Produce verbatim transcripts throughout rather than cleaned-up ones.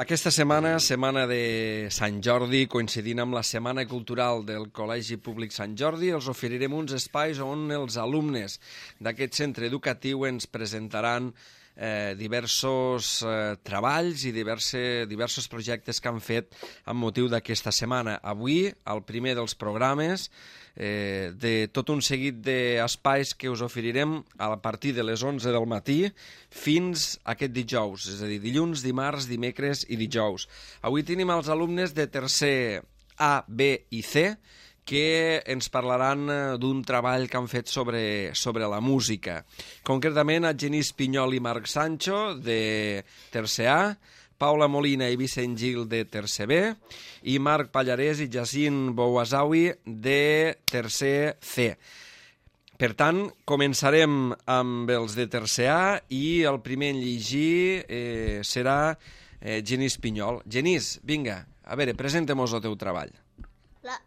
Aquesta setmana, setmana de Sant Jordi, coincidint amb la Setmana Cultural del Col·legi Públic Sant Jordi, els oferirem uns espais on els alumnes d'aquest centre educatiu ens presentaran eh, diversos eh, treballs i diverse, diversos projectes que han fet amb motiu d'aquesta setmana. Avui, el primer dels programes, eh, de tot un seguit d'espais que us oferirem a partir de les onze del matí fins a aquest dijous, és a dir, dilluns, dimarts, dimecres i dijous. Avui tenim els alumnes de tercer A, B i C, que ens parlaran d'un treball que han fet sobre, sobre la música. Concretament, a Genís Pinyol i Marc Sancho, de tercer A, Paula Molina i Vicent Gil, de tercer B, i Marc Pallarès i Jacint Bouazaui, de tercer C. Per tant, començarem amb els de tercer A i el primer en llegir eh, serà eh, Genís Pinyol. Genís, vinga, a veure, presenta-mos el teu treball. La,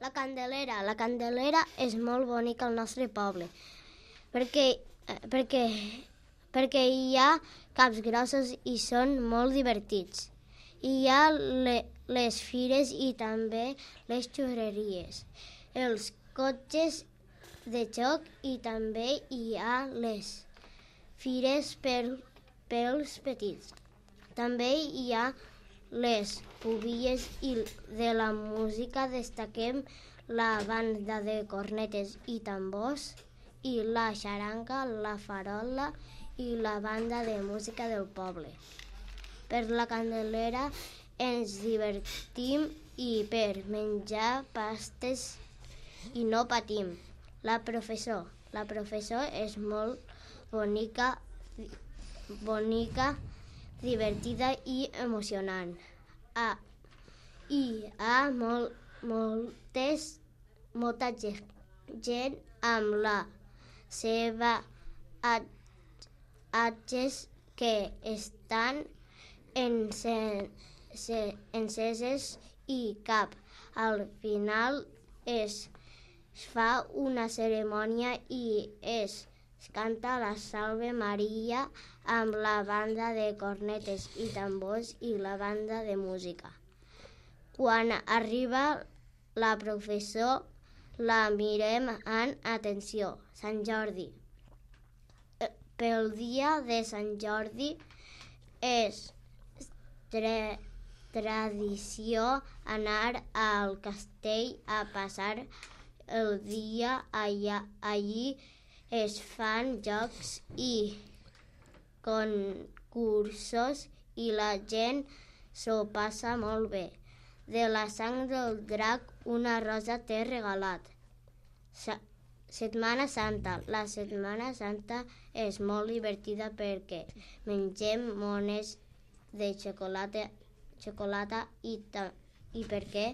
la Candelera. La Candelera és molt bonica al nostre poble, perquè, perquè, perquè hi ha caps grossos i són molt divertits. Hi ha le, les fires i també les xurreries, els cotxes de joc i també hi ha les fires per, pels petits. També hi ha les pubilles i de la música destaquem la banda de cornetes i tambors i la xaranga, la farola i la banda de música del poble. Per la Candelera ens divertim i per menjar pastes i no patim. La professor. La professor és molt bonica, bonica, divertida i emocionant. Ah, hi ha molt, moltes, molta gent amb la seva atges que estan enceses i cap al final es fa una cerimònia i es canta la Salve Maria amb la banda de cornetes i tambors i la banda de música. Quan arriba la professor, la mirem amb atenció. Sant Jordi. Pel dia de Sant Jordi és tra tradició anar al castell a passar el dia allà. Allí es fan jocs i concursos i la gent s'ho passa molt bé. De la sang del drac una rosa t'he regalat. Sa Setmana Santa. La Setmana Santa és molt divertida perquè mengem mones de xocolata, xocolata i, i perquè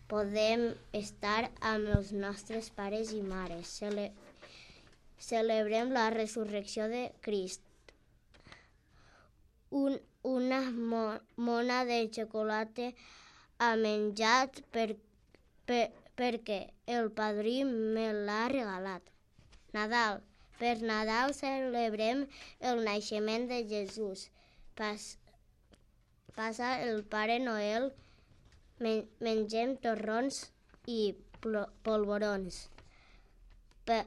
podem estar amb els nostres pares i mares. Cele celebrem la resurrecció de Crist. Un, una mo mona de xocolata ha menjat per, per, perquè el padrí me l'ha regalat. Nadal. Per Nadal celebrem el naixement de Jesús. Pas, passa el Pare Noel, men mengem torrons i polvorons. Pe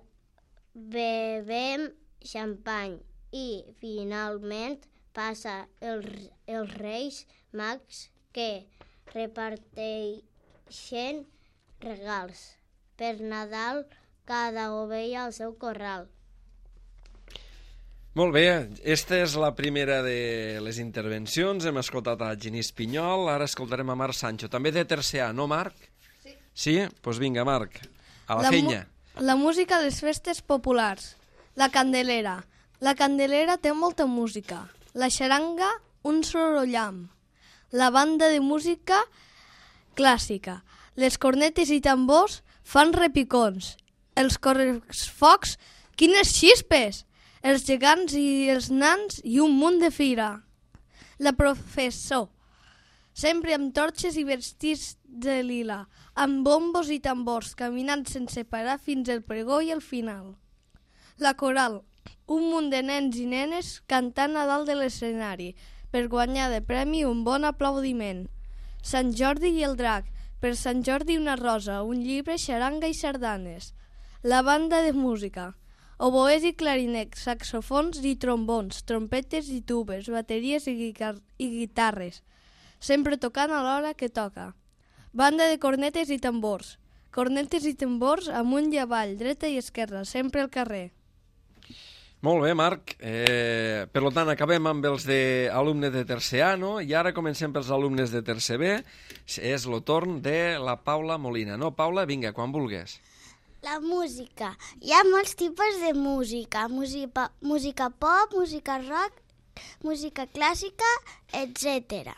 bevem xampany i finalment passa el, els Reis Mags que reparteixen regals. Per Nadal, cada ovella al seu corral. Molt bé, esta és la primera de les intervencions. Hem escoltat a Genís Pinyol, ara escoltarem a Marc Sancho, també de tercer A, no, Marc? Sí. Sí? Doncs pues vinga, Marc, a la, la feina. La música a les festes populars. La Candelera. La Candelera té molta música. La xaranga, un sorollam. La banda de música clàssica. Les cornetes i tambors fan repicons. Els corresfocs, quines xispes! Els gegants i els nans i un munt de fira. La professor. Sempre amb torxes i vestits de lila, amb bombos i tambors, caminant sense parar fins al pregó i al final. La coral. Un munt de nens i nenes cantant a dalt de l'escenari. per guanyar de premi un bon aplaudiment. Sant Jordi i el drac, per Sant Jordi una rosa, un llibre, xaranga i sardanes. La banda de música, oboès i clarinets, saxofons i trombons, trompetes i tubes, bateries i, guitar i guitarres, sempre tocant a l'hora que toca. Banda de cornetes i tambors, cornetes i tambors amunt i avall, dreta i esquerra, sempre al carrer. Molt bé, Marc. Eh, per tant, acabem amb els de alumnes de tercer A, no? I ara comencem pels alumnes de tercer B. És el torn de la Paula Molina. No, Paula, vinga, quan vulguis. La música. Hi ha molts tipus de música. Música, música pop, música rock, música clàssica, etcètera.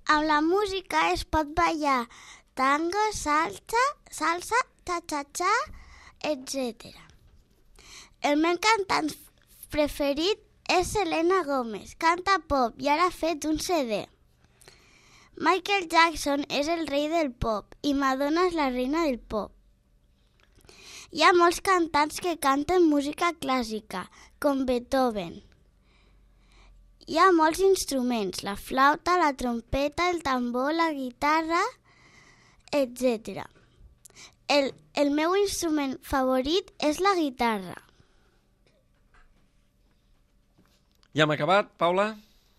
Amb la música es pot ballar tango, salsa, salsa, cha-cha-cha, etcètera. El meu cantant preferit és Selena Gomez. Canta pop i ara ha fet un C D. Michael Jackson és el rei del pop i Madonna és la reina del pop. Hi ha molts cantants que canten música clàssica, com Beethoven. Hi ha molts instruments, la flauta, la trompeta, el tambor, la guitarra, etcètera. El, el meu instrument favorit és la guitarra. Ja hem acabat, Paula?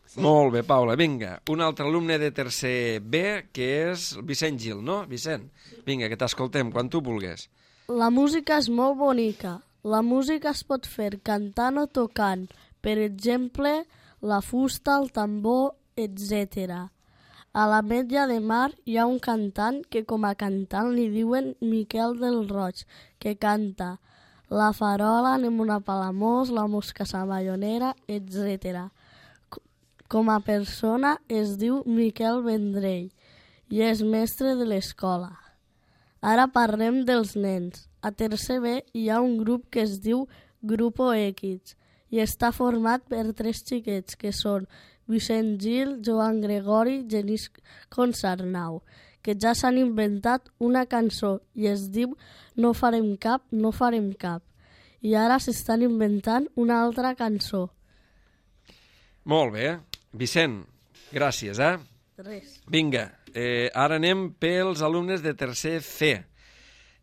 Sí. Molt bé, Paula. Vinga, un altre alumne de tercer B, que és Vicent Gil, no? Vicent, vinga, que t'escoltem quan tu vulguis. La música és molt bonica. La música es pot fer cantant o tocant. Per exemple, la fusta, el tambor, etcètera. A l'Ametlla de Mar hi ha un cantant que com a cantant li diuen Miquel del Roig, que canta La farola, anem una Palamós, la mosca savallonera, etcètera. Com a persona es diu Miquel Vendrell i és mestre de l'escola. Ara parlem dels nens. A tercer B hi ha un grup que es diu Grupo X i està format per tres xiquets que són Vicent Gil, Joan Gregori i Genís Consarnau, que ja s'han inventat una cançó i es diu No farem cap, no farem cap. I ara s'estan inventant una altra cançó. Molt bé. Vicent, gràcies, eh? Res. Vinga, eh, ara anem pels alumnes de tercer C.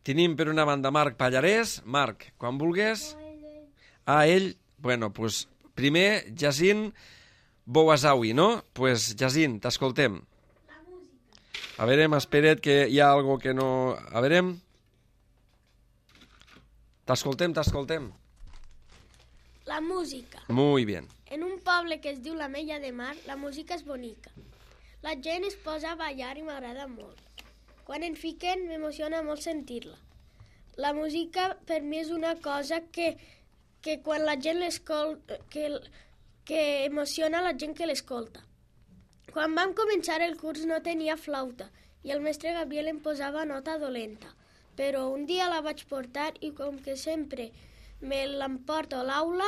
Tenim per una banda Marc Pallarès. Marc, quan vulguis. Ah, ell? Bueno, pues primer Jacint Bouazaoui, no? Pues Jacint, t'escoltem. A veure, espera't que hi ha algo que no... A veure... T'escoltem, t'escoltem. La música. Muy bien. En un poble que es diu l'Ametlla de Mar, la música és bonica. La gent es posa a ballar i m'agrada molt. Quan en fiquen, m'emociona molt sentir-la. La música per mi és una cosa que, que quan la gent l'escolta, que, que emociona la gent que l'escolta. Quan vam començar el curs no tenia flauta i el mestre Gabriel em posava nota dolenta, però un dia la vaig portar i com que sempre me l'emporto a l'aula,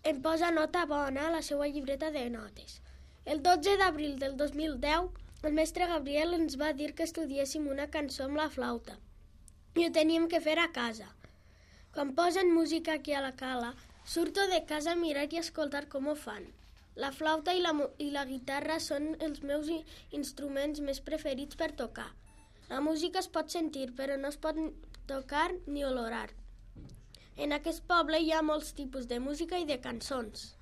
em posa nota bona a la seva llibreta de notes. El dotze d'abril del dos mil deu, el mestre Gabriel ens va dir que estudiéssim una cançó amb la flauta i ho teníem que fer a casa. Quan posen música aquí a la cala, surto de casa a mirar i escoltar com ho fan. La flauta i la, i la guitarra són els meus instruments més preferits per tocar. La música es pot sentir, però no es pot tocar ni olorar. En aquest poble hi ha molts tipus de música i de cançons.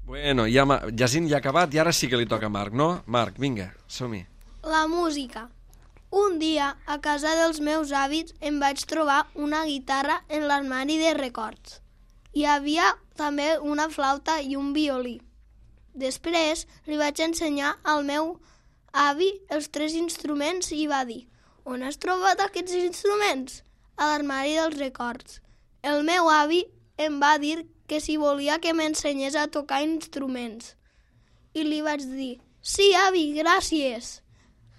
Bueno, ja Jacint ja ha acabat i ara sí que li toca a Marc, no? Marc, vinga, som-hi. La música. Un dia, a casa dels meus avis, em vaig trobar una guitarra en l'armari de records. Hi havia també una flauta i un violí. Després li vaig ensenyar al meu avi els tres instruments i va dir: on has trobat aquests instruments? A l'armari dels records. El meu avi em va dir que si volia que m'ensenyés a tocar instruments. I li vaig dir: sí, avi, gràcies.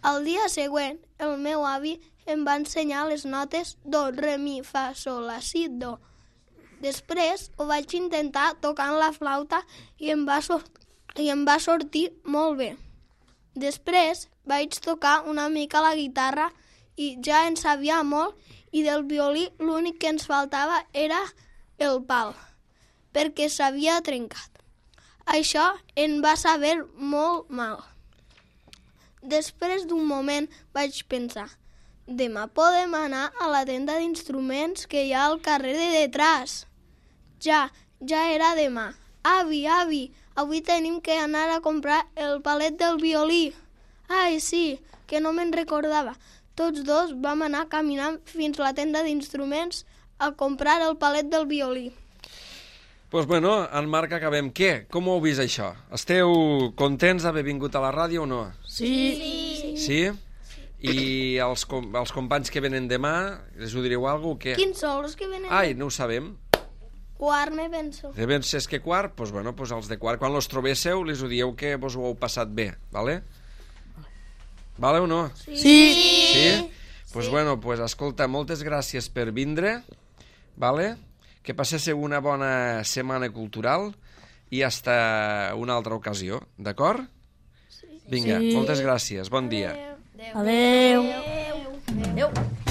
El dia següent, el meu avi em va ensenyar les notes do, re, mi, fa, sol, la, si, do. Després ho vaig intentar tocant la flauta i em va, sort i em va sortir molt bé. Després vaig tocar una mica la guitarra i ja en sabia molt, i del violí l'únic que ens faltava era el pal. perquè s'havia trencat. Això em va saber molt mal. Després d'un moment vaig pensar, demà podem anar a la tenda d'instruments que hi ha al carrer de detrás. Ja, ja era demà. Avi, avi, avui tenim que anar a comprar el palet del violí. Ai, sí, que no me'n recordava. Tots dos vam anar caminant fins a la tenda d'instruments a comprar el palet del violí. Doncs pues bueno, en Marc, acabem. Què? Com ho heu vist, això? Esteu contents d'haver vingut a la ràdio o no? Sí. Sí? Sí? I els, com els companys que venen demà, els ho direu alguna cosa o què? Quins són els que venen? Ai, no ho sabem. Quart, me penso. De ben ses que quart? Doncs pues bueno, pues els de quart, quan els trobéssiu, les ho dieu que vos ho heu passat bé, vale? Vale o no? Sí. Sí? Doncs pues bueno, pues escolta, moltes gràcies per vindre, vale? Que passéssiu una bona setmana cultural i hasta una altra ocasió, d'acord? Sí. Vinga, sí. Moltes gràcies, bon dia. Adeu. Adeu. Adeu.